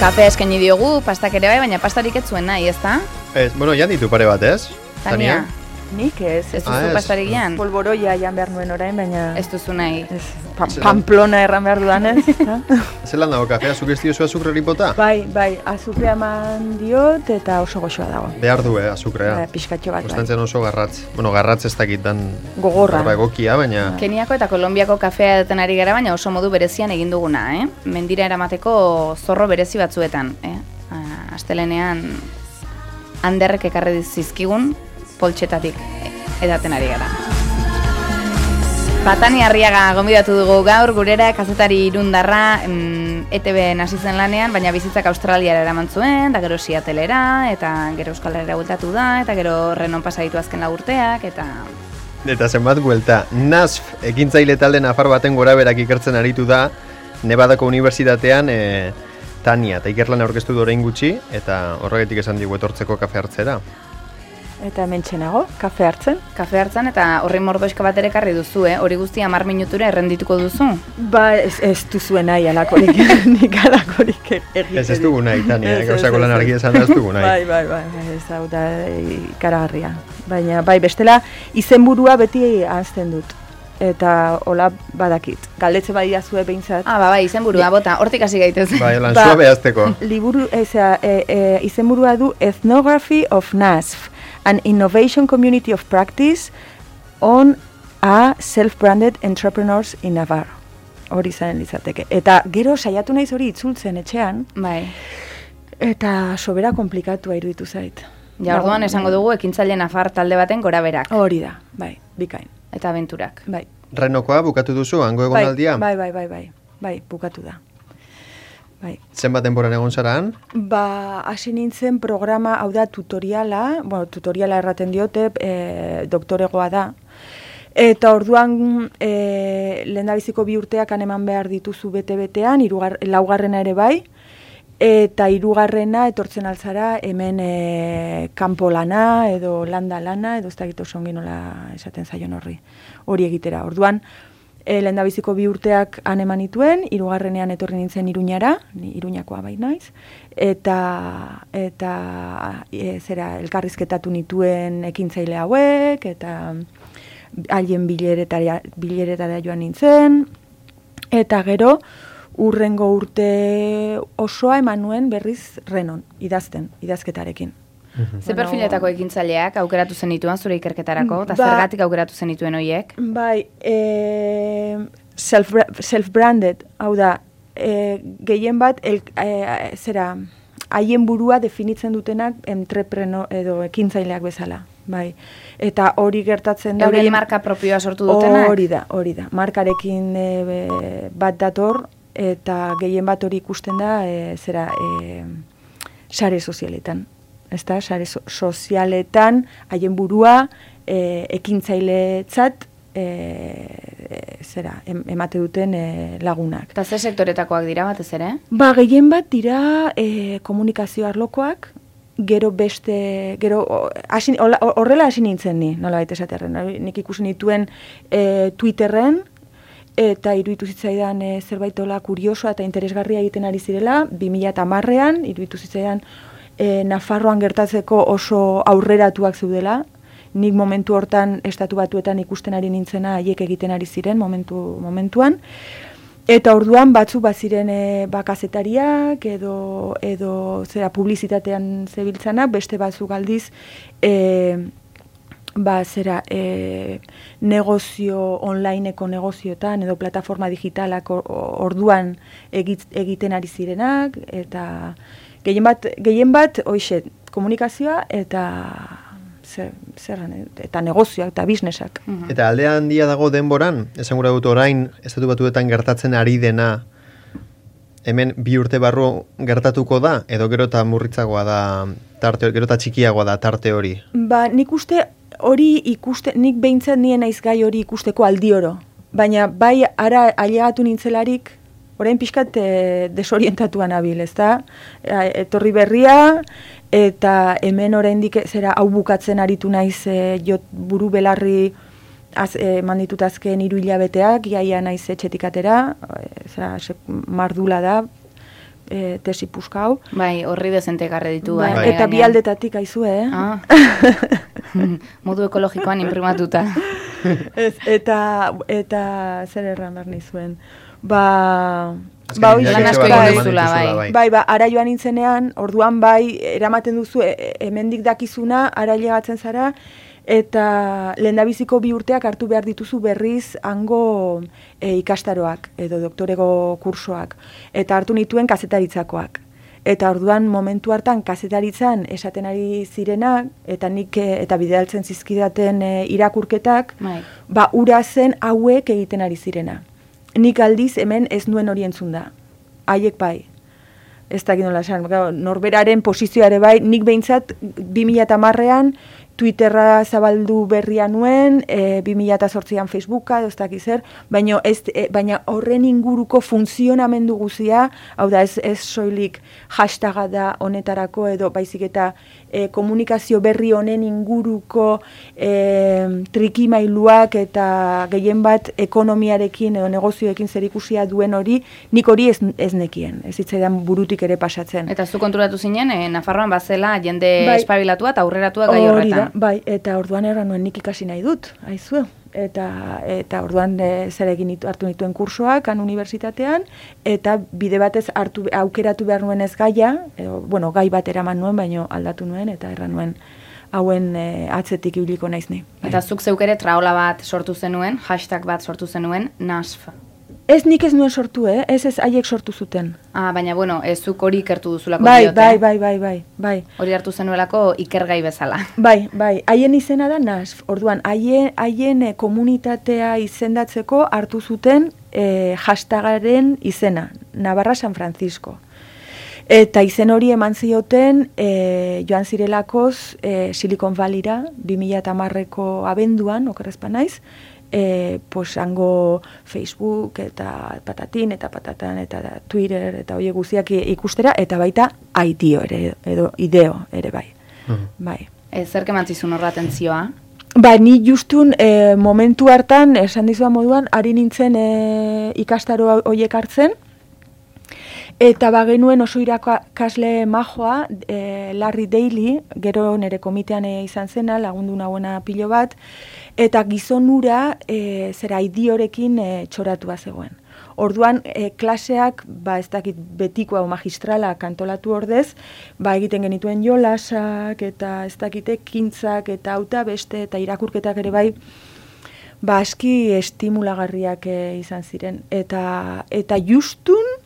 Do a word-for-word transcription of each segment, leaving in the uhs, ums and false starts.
Kafea eskaini diogu, pastak ere bai, baina pastarik ez zuen nahi, ezta? Ez, bueno, jan ditu pare bat, ez? Tania. Nik ez. Ez duzu pastarik jan? Polboroia jan behar nuen orain, baina... Ez duzu nahi. Ez, pa Pamplona erran behar dudanez. Zelan dago, kafea zuk ez diozu azukreri bota? Bai, bai, azukrea eman diot eta oso goxoa dago. Behar du, eh, azukrea. Bai, pixkatxo bat, Gustantzen oso garratz. Bueno, garratz ez dakit dan... Gogorra. Barba egokia, baina... Keniako eta Kolonbiako kafea duten ari gara, baina oso modu berezian egin duguna, eh? Mendira eramateko zorro berezi batzuetan, eh? Astelenean handerrek ekarri zizkigun poltsetatik edaten ari gara. Tania Arriaga gonbidatu dugu gaur, gurera kazetari irundarra, mm, E T B hasi zen lanean, baina bizitzak Australiara eraman zuen, da gero Seattlera, eta gero Euskal Herrira bueltatu da, eta gero Renon pasa ditu azken lau urteak, eta... Eta zenbat buelta, N A S F ekintzaile talde nafar baten gora berak ikertzen aritu da, Nevadako Unibertsitatean, e, Tania, eta ikerlan aurkeztu du orain gutxi, eta horregatik esan digu etortzeko kafe hartzera. Eta hementxenago, kafe hartzen. Kafe hartzen eta horri mordoizka bat ere ekarri duzu, eh? Hori guztia hamar minutura errendituko duzu? Ba, ez, ez duzuen nahi alakorik, nik alakorik egiten. Ez ez dugu nahi, Tania, gauzako lan argi esan da ez dugu nahi. Bai, bai, bai, ez hau da ikaragarria. Baina, bai, bestela, izenburua beti ahazten dut. Eta hola badakit. Galdetze badia zue behintzat. Ah, ba, bai, izenburua, bota, hortik hasi gaitez. Bai, lan zua behazteko. Liburu, eza, e, e, izenburua du Ethnography of N A S F, an Innovation Community of Practice on a Self-Branded Entrepreneurs in Navarro. Hori zaren litzateke. Eta gero saiatu naiz hori itzultzen etxean. Bai. Eta sobera komplikatua iruditu zait. Ja, orduan esango dugu ekintzaile nafar talde baten gora berak. Hori da, bai, bikain. Eta abenturak. Bai. Renokoa bukatu duzu, hango egonaldia? Bai, bai, bai, bai, bai, bukatu da. Bai. Zenbat denboran egon zaraan? Ba, hasi nintzen programa, hau da tutoriala, bueno, tutoriala erraten diote, e, doktoregoa da. Eta orduan e, lehendabiziko bi urteak eman behar dituzu bete-betean, irugar, laugarrena ere bai, eta hirugarrena etortzen altzara hemen e, kanpo lana edo landa lana edo ez dakit oso ongi nola esaten zaion horri hori egitera. Orduan e, lehendabiziko bi urteak han eman nituen, hirugarrenean etorri nintzen Iruñara, ni Iruñakoa bai naiz, eta eta e, zera elkarrizketatu nituen ekintzaile hauek eta haien bileretara bileretara joan nintzen, eta gero urrengo urte osoa eman nuen berriz Renon, idazten, idazketarekin. Mm-hmm. Ze perfiletako ekintzaileak aukeratu zenituen zure ikerketarako, eta ba, zergatik aukeratu zenituen horiek? Bai, e, self, self-branded, hau da, e, gehien bat, el, e, zera, haien burua definitzen dutenak entrepreno edo ekintzaileak bezala. Bai. Eta hori gertatzen da... Eurei marka propioa sortu dutenak? Hori da, hori da. Markarekin e, bat dator, eta gehien bat hori ikusten da e, zera e, sare sozialetan. Ezta, sare so, sozialetan haien burua e, ekintzailetzat e, e, zera em, emate duten e, lagunak. Eta ze sektoretakoak dira batez ere? Ba, gehien bat dira e, komunikazio arlokoak, gero beste, gero asin, horrela hasi nintzen ni, nola baita esaterren. Nik ikusi nituen e, Twitterren, eta iruditu zitzaidan e, zerbait hola kuriosoa eta interesgarria egiten ari zirela, bi mila hamarrean, iruditu zitzaidan e, Nafarroan gertatzeko oso aurreratuak zeudela, nik momentu hortan estatu batuetan ikusten ari nintzena haiek egiten ari ziren momentu, momentuan, eta orduan batzuk baziren e, bakazetariak edo, edo zera publizitatean zebiltzanak, beste batzuk aldiz e, ba, zera, e, negozio, onlineko negozioetan edo plataforma digitalak orduan egit, egiten ari zirenak, eta gehien bat, gehien bat, hoxe, komunikazioa eta zer, zerran, eta negozioak eta businessak. Mm-hmm. Eta aldea handia dago denboran, esan gura dut orain, estatu batuetan gertatzen ari dena, hemen bi urte barru gertatuko da, edo gero eta murritzagoa da, tarte, gero eta txikiagoa da tarte hori? Ba, nik uste hori ikuste, nik behintzat nien naiz gai hori ikusteko aldi oro. Baina bai ara ailegatu nintzelarik, orain pixkat e, desorientatuan abil, ezta? Etorri berria, eta hemen oraindik zera hau bukatzen aritu naiz e, jot buru belarri az, e, manditut azken hiru hilabeteak, iaia naiz etxetik atera, e, zera, mardula da, e, tesi puska hau. Bai, horri dezente garre ditu. Bai, bai, eta bi aldetatik aizu, eh? Ah. Modu ekologikoan imprimatuta. Ez, eta, eta zer erran behar nizuen. Ba... Ba, lan asko egin duzula, bai. Bai, ba, ara joan nintzenean, orduan bai, eramaten duzu, e, hemendik dakizuna, ara llegatzen zara, eta lehendabiziko bi urteak hartu behar dituzu berriz hango e, ikastaroak, edo doktorego kursoak, eta hartu nituen kazetaritzakoak. Eta orduan momentu hartan kazetaritzan esaten ari zirenak, eta nik eta bidaltzen zizkidaten e, irakurketak, bai. Ba, ura zen hauek egiten ari zirena. Nik aldiz hemen ez nuen hori entzun da. Haiek bai. Ez dakit nola esan, norberaren posizioare bai, nik behintzat bi mila hamarrean Twitterra zabaldu berria nuen, e, bi mila zortzian Facebooka, ez dakit zer, baina, ez, e, baina horren inguruko funtzionamendu guzia, hau da ez, ez soilik hashtaga da honetarako edo baizik eta e, komunikazio berri honen inguruko e, trikimailuak eta gehien bat ekonomiarekin edo negozioekin zerikusia duen hori, nik hori ez, ez nekien, ez hitzaidan burutik ere pasatzen. Eta zu konturatu zinen, e, Nafarroan bazela jende bai, espabilatua eta aurreratua gai horretan. Da, bai, eta orduan erran nuen nik ikasi nahi dut, aizu. Eta, eta orduan e, zer egin nitu, hartu nituen kursoak han unibertsitatean, eta bide batez hartu, aukeratu behar nuen ez gaia, edo, bueno, gai bat eraman nuen, baino aldatu nuen, eta erran nuen hauen e, atzetik ibiliko naiz ni. Bai. Eta zuk zeuk ere traola bat sortu zenuen, hashtag bat sortu zenuen, NASF. Ez nik ez nuen sortu, eh? Ez ez haiek sortu zuten. Ah, baina, bueno, ez zuk hori ikertu duzulako bai, diote. Bai, bai, bai, bai, bai. Hori hartu zenuelako ikergai bezala. Bai, bai, haien izena da NASF. Orduan, haien, haien e, komunitatea izendatzeko hartu zuten e, hashtagaren izena, Navarra San Francisco. Eta izen hori eman zioten e, joan zirelakoz e, Silicon Valleyra, bi mila hamarreko abenduan, okerrezpa naiz, E, pues hango Facebook eta patatin eta patatan eta da, Twitter eta hoiek guztiak ikustera eta baita aitio ere edo ideo ere bai. Uh-huh. Bai. E, zer kemantzizun horra atentzioa? Ba, ni justun e, momentu hartan, esan dizua moduan, ari nintzen e, ikastaro hoiek hartzen, eta bagenuen oso irakasle majoa, e, Larry Daly, gero nire komitean e, izan zena, lagundu nagoena pilo bat, eta gizonura e, zera idiorekin e, txoratua zegoen. Orduan, e, klaseak, ba ez dakit betikoa o magistrala kantolatu ordez, ba egiten genituen jolasak, eta ez dakit ekintzak, eta auta beste, eta irakurketak ere bai, ba aski estimulagarriak e, izan ziren. Eta, eta justun,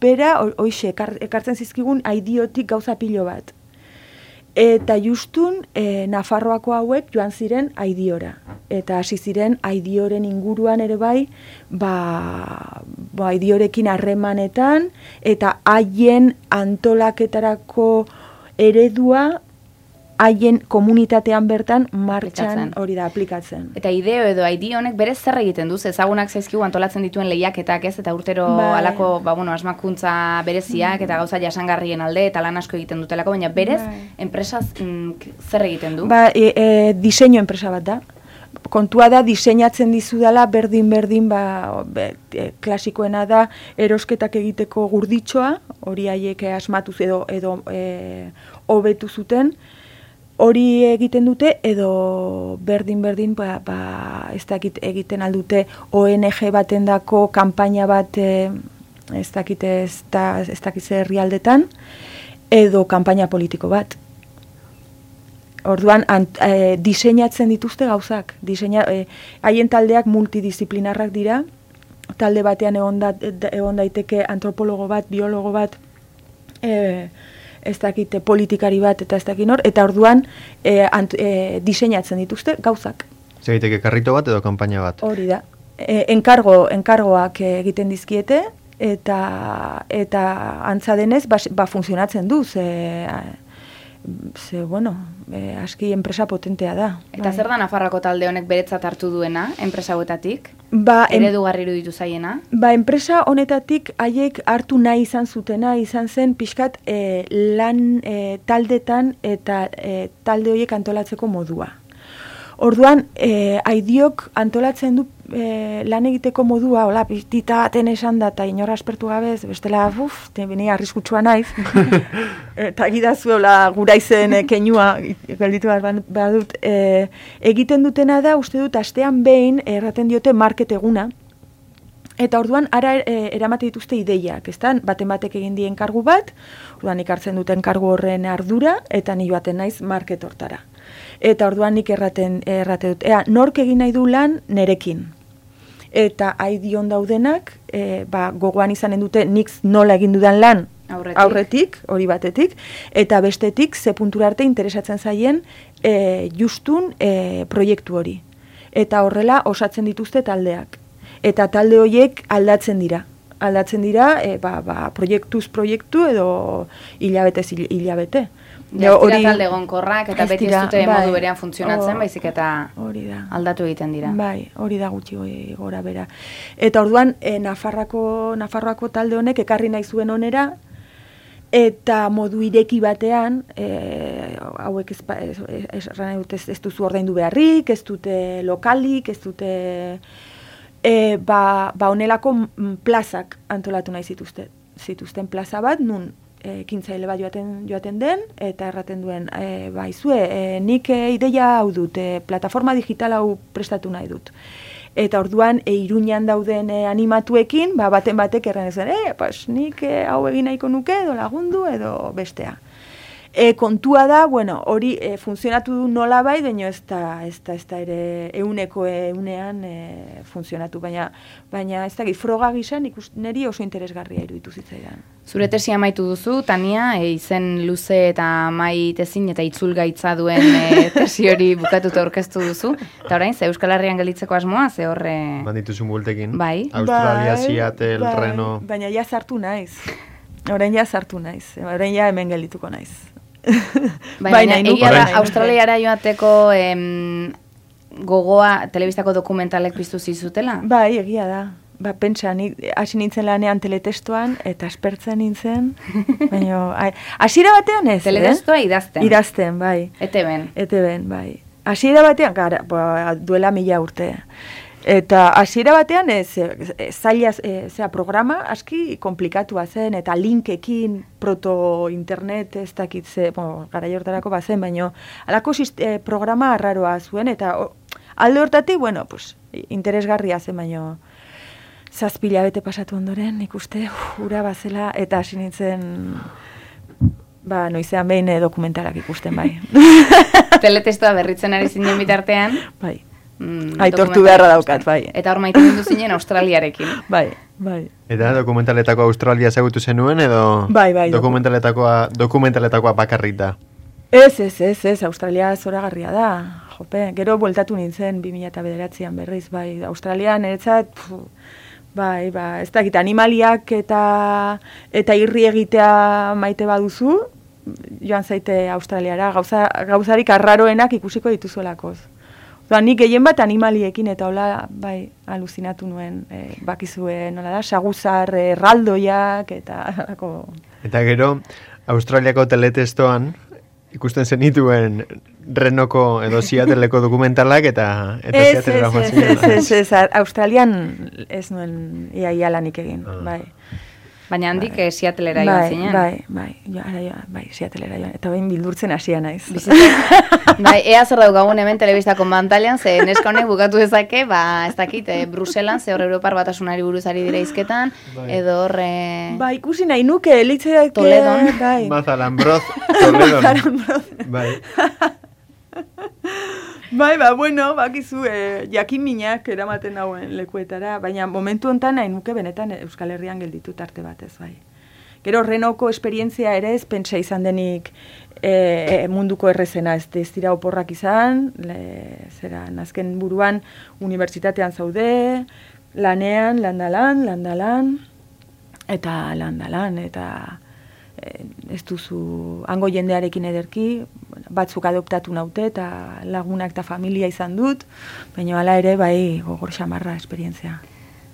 bera, hoixe, ekar, ekartzen zizkigun aidiotik gauza pilo bat. Eta justun, e, Nafarroako hauek joan ziren aidiora. Eta hasi ziren aidioren inguruan ere bai, ba, ba aidiorekin harremanetan, eta haien antolaketarako eredua, haien komunitatean bertan martxan hori da aplikatzen. Eta ideo edo idea honek berez zer egiten duz, ezagunak zaizkigu antolatzen dituen lehiaketak ez, eta urtero bai. Alako ba, bueno, asmakuntza bereziak eta gauza jasangarrien alde eta lan asko egiten dutelako, baina berez bai. Enpresaz mm, zer egiten du? Ba, e, e, diseinu enpresa bat da. Kontua da diseinatzen dizudala berdin-berdin ba, be, e, klasikoena da erosketak egiteko gurditxoa, hori haiek asmatuz edo edo e, hobetu zuten, hori egiten dute edo berdin-berdin ba, ba, ez dakit egiten aldute O N G batendako kanpaina bat e, ez dakit ez, da, ez dakit zer herrialdetan edo kanpaina politiko bat. Orduan ant, e, diseinatzen dituzte gauzak. Diseina, e, haien taldeak multidisciplinarrak dira. Talde batean egon, da, egon daiteke antropologo bat, biologo bat, e, ez dakite politikari bat eta ez dakit nor, eta orduan e, ant, e, diseinatzen dituzte gauzak. Zegiteke karrito bat edo kanpaina bat? Hori da. E, enkargo, enkargoak egiten dizkiete, eta, eta antza denez, ba, ba funtzionatzen du, ze, ze bueno, e, aski enpresa potentea da. Eta bai. Zer da Nafarroako talde honek beretzat hartu duena, enpresa hauetatik? Ba, eredugarri iruditu zaiena? Ba, enpresa honetatik haiek hartu nahi izan zutena, izan zen pixkat e, lan e, taldetan eta e, talde horiek antolatzeko modua. Orduan, e, aidiok antolatzen du e, lan egiteko modua, hola, pitita baten esan da, eta inora aspertu gabez, bestela, uf, bine arriskutsua naiz, eta gidazu, hola, gura izen e, keinua, gelditu behar badut, e, egiten dutena da, uste dut, astean behin, erraten diote market eguna, eta orduan, ara e, eramate dituzte ideiak, ezta? Baten batek egin dien kargu bat, orduan ikartzen duten kargu horren ardura, eta ni joaten naiz market hortara. Eta orduan nik erraten, errate dut, ea, nork egin nahi du lan nerekin. Eta aidion daudenak, e, ba, gogoan izanen dute nik nola egin dudan lan aurretik, aurretik hori batetik, eta bestetik ze puntura arte interesatzen zaien e, justun e, proiektu hori. Eta horrela osatzen dituzte taldeak. Eta talde horiek aldatzen dira. Aldatzen dira, e, ba, ba, proiektuz proiektu edo hilabetez hilabete. Ja, hori talde egonkorrak eta beti ez dute bai, modu berean funtzionatzen, baizik eta aldatu egiten dira. Bai, hori da gutxi gora bera. Eta orduan, e, Nafarroako, Nafarroako talde honek ekarri nahi zuen onera, eta modu ireki batean, e, hauek ez, ez, ez, ez, ez duzu ordaindu beharrik, ez dute lokalik, ez dute... E, ba, ba onelako plazak antolatu nahi zituzten, zituzten plaza bat, nun ekintzaile bat joaten, joaten den, eta erraten duen, e, ba, izue, e, nik e, ideia hau dut, e, plataforma digital hau prestatu nahi dut. Eta orduan, e, Iruñan dauden e, animatuekin, ba, baten batek erran ezen, e, pas, nik e, hau egin nahiko nuke, edo lagundu, edo bestea. E, kontua da, bueno, hori e, funtzionatu du nola bai, baina ez da, ez da, ez da ere euneko eunean e, funtzionatu, baina, baina ez da, froga gizan niri oso interesgarria iruditu zitzaidan. Zure tesi amaitu duzu, Tania, e, izen luze eta maitezin eta itzulgaitza duen e, tesi hori bukatuta aurkeztu duzu, eta orain, ze Euskal Herrian gelditzeko asmoa, ze horre... Bandituzun bultekin. Bai. Australia, Seattle, bai, Reno... Baina ja sartu naiz. Orain ja sartu naiz. Orain ja hemen geldituko naiz. Baina, egia da, Australiara joateko em, gogoa telebistako dokumentalek piztu zizutela? Bai, egia da. Ba, pentsa, hasi nintzen lanean teletestoan, eta aspertzen nintzen, baina, hasiera batean ez, teletestoa eh? idazten. Idazten, bai. Ete ben. Ete ben, bai. Hasiera batean, gara, ba, duela mila urte. Eta hasiera batean ez, zaila, e, zera, programa aski komplikatua zen, eta linkekin proto-internet ez dakitze, bueno, gara jortarako bazen, baina alako e, programa arraroa zuen, eta o, alde hortatik, bueno, pues, interesgarria zen, baina zazpila bete pasatu ondoren, ikuste, ura bazela, eta hasi nintzen, ba, noizean behin dokumentalak ikusten, bai. Teletestoa berritzen ari zinen bitartean? Bai. Mm, aitortu beharra daukat, bai. Eta hor maite mundu zinen Australiarekin. Bai, bai. Eta dokumentaletakoa Australia ezagutu zenuen, edo bai, bai, dokumentaletakoa, dokumentaletakoa bakarrik da? Ez, ez, ez, ez, Australia zoragarria da. Jope, gero bueltatu nintzen bi mila bederatzian berriz, bai, Australian, eretzat, bai, ba, ez dakit, animaliak eta, eta irri egitea maite baduzu, joan zaite Australiara, gauza, gauzarik arraroenak ikusiko dituzuelakoz. Da, nik gehien bat animaliekin eta hola, bai, aluzinatu nuen, e, bakizue, nola da, saguzar, erraldoiak, eta... Eta gero, Australiako teletestoan, ikusten zenituen Renoko edo Seattleko dokumentalak, eta, eta ez, Seattlera joan ez, ziren. Ez, ez, ez, ez, Australian ez nuen ia ia lanik egin, ah. bai. Baina handik bai. Seattlera joan bai, zinen. Bai, bai, bai, bai, Seattlera joan. Eta bain bildurtzen hasia naiz. Bai, ea zer daukagun hemen telebistako mantalean, ze neska honek bukatu dezake, ba, ez dakit, eh, Bruselan, ze hor Europar Batasunari buruzari dira izketan, bai. Edo horre... Ba, ikusi nahi nuke, elitzeak... Toledon. Bai. Mazalambroz, Toledon. Mazalambroz. Bai. Bai, ba, bueno, bakizu, eh, jakin minak eramaten nauen lekuetara, baina momentu hontan nahi nuke benetan Euskal Herrian gelditu tarte batez, bai. Gero Renoko esperientzia ere ez pentsa izan denik e, munduko errezena, ez, ez dira oporrak izan, le, zera, nazken buruan unibertsitatean zaude, lanean, landalan, landalan, eta landalan, eta ez duzu hango jendearekin ederki, batzuk adoptatu naute eta lagunak eta familia izan dut, baina hala ere bai gogor xamarra esperientzia.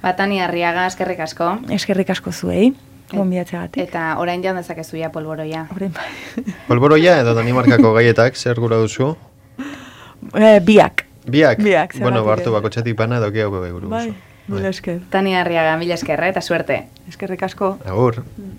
Batani Arriaga, eskerrik asko. Eskerrik asko zuei, gonbidatzeagatik. Eta orain jan dezakezu ja polboroia. Orain bai. Polboroia edo Danimarkako gaietak zer gura duzu? E, biak. Biak? Biak, Bueno, zergatik bartu ez. bako txatik pana doki hau euro. Bai, mila esker. Tania Arriaga, mila esker, eh, eta suerte. Eskerrik asko. Agur.